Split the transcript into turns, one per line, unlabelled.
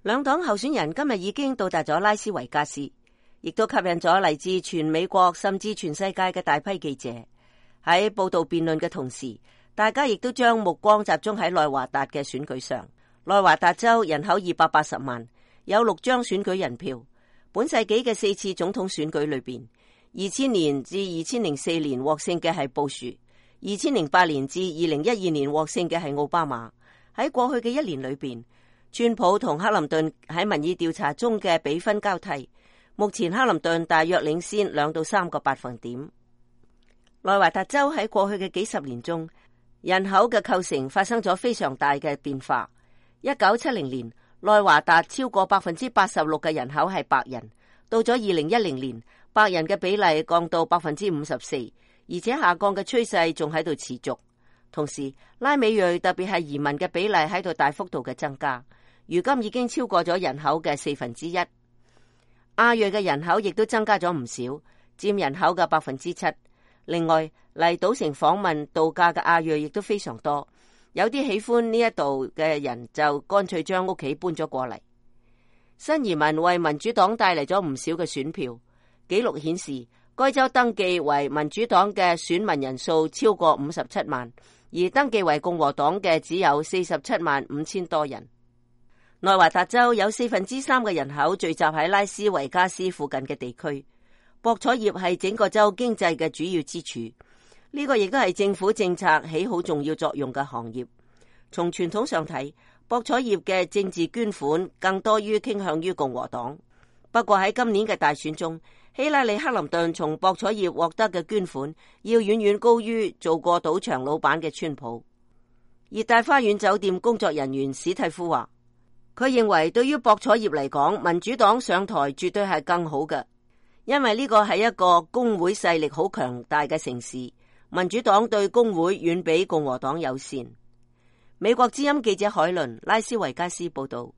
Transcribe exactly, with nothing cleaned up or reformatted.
兩黨候選人今日已經到達咗拉斯維加斯，亦都吸引咗嚟自全美國甚至全世界嘅大批記者。喺報道辯論嘅同時，大家亦都將目光集中喺內華達嘅選舉上。內華達州人口二百八十萬，有六張選舉人票。本世紀嘅四次總統選舉裏邊，二千年至二千零四年獲勝嘅係布殊，二千零八年至二零一二年獲勝嘅係奧巴馬。喺過去嘅一年裏邊，川普同克林頓喺民意調查中嘅比分交替，目前克林頓大約領先兩到三個百分點。內華達州喺過去嘅幾十年中，人口嘅構成發生咗非常大嘅變化。一九七零年，內華達超過百分之八十六嘅人口係白人，到咗二零一零年，白人嘅比例降到百分之五十四，而且下降嘅趨勢仲喺度持續。同時，拉美裔特別係移民嘅比例喺度大幅度嘅增加，如今已經超過咗人口嘅四分之一。亞裔嘅人口亦都增加咗唔少，佔人口嘅百分之七。另外，嚟賭城訪問度假嘅亞裔亦都非常多，有啲喜歡呢一度嘅人就乾脆將屋企搬咗過嚟。新移民為民主黨帶嚟咗唔少嘅選票，紀錄顯示該州登記為民主黨嘅選民人數超過五十七萬，而登記為共和黨嘅只有四十七萬五千多人。內華達州有四分之三嘅人口聚集喺拉斯維加斯附近嘅地區。博彩業係整個州經濟嘅主要支柱，呢個亦都係政府政策起好重要作用嘅行業。從傳統上睇，博彩業嘅政治捐款更多於傾向於共和黨。不過喺今年嘅大選中，希拉里克林頓從博彩業獲得嘅捐款要遠遠高於做過賭場老闆嘅川普。熱帶花園酒店工作人員史蒂夫話，佢認為對於博彩業嚟講，民主黨上台絕對係更好嘅。因為呢個係一個工會勢力好強大嘅城市，民主黨對工會遠比共和黨友善。美國之音記者海倫拉斯維加斯報道。